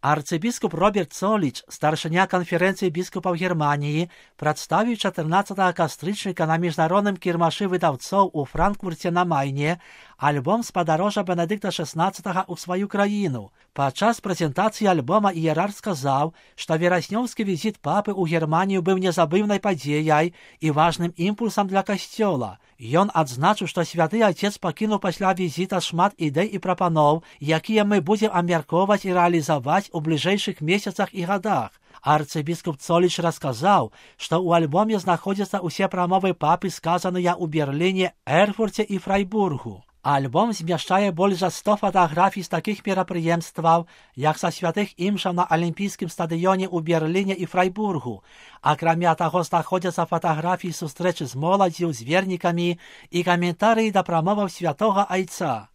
Арцыбіскуп Роберт Цоліч, старшыня канферэнцыі біскупаў Германіі, прадставіў 14 кастрычніка на міжнародным кірмашы выдаўцоў у Франкфурце на Майне альбом з падарожжа Бенедыкта XVI ў сваю краіну. Падчас прэзентацыі альбома іерарх сказаў, што вераснёўскі візіт папы ў Германію быў незабыўнай падзеяй і важным імпульсам для касцёла. Ён адзначыў, што святы Отец пакінуў пасля візіта шмат ідэй і прапаноў, якія мы будзем абмяркоўваць і рэалізаваць у бліжэйшых месяцах і гадах. Арцыбіскуп Цоліч расказаў, што ў альбоме знаходзяцца ўсе прамовы папы, сказаныя ў Берліне, Эрфурце і Фрайбургу. Альбом змяшчае больш за 100 фатаграфій з такіх мерапрыемстваў, як са святых імшаў на алімпійскім стадыёне ў Берліне і Фрайбургу. Акрамя таго, знаходзяцца фатаграфіі сустрэчы з моладдзю, з вернікамі і каментарыі да прамоваў святога айца.